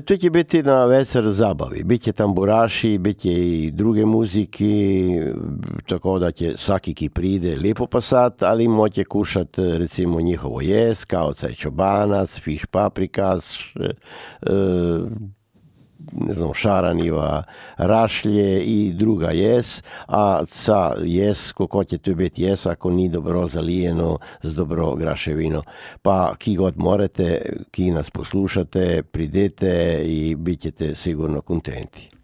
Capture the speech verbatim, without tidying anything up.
To će biti na večer zabavi. Biće tamburaši, biće i druge muziki, tako da će svaki ki pride lijepo pasat, ali moće kušat recimo njihovo jes, kao caj čobanac, fiš paprikas, ne znam, šaraniva, rašlje i druga jes, a sa jes, kako će to biti jes, ako ni dobro zalijeno z dobro graševino. Pa ki god morate, ki nas poslušate, pridete i bit ćete sigurno kontenti.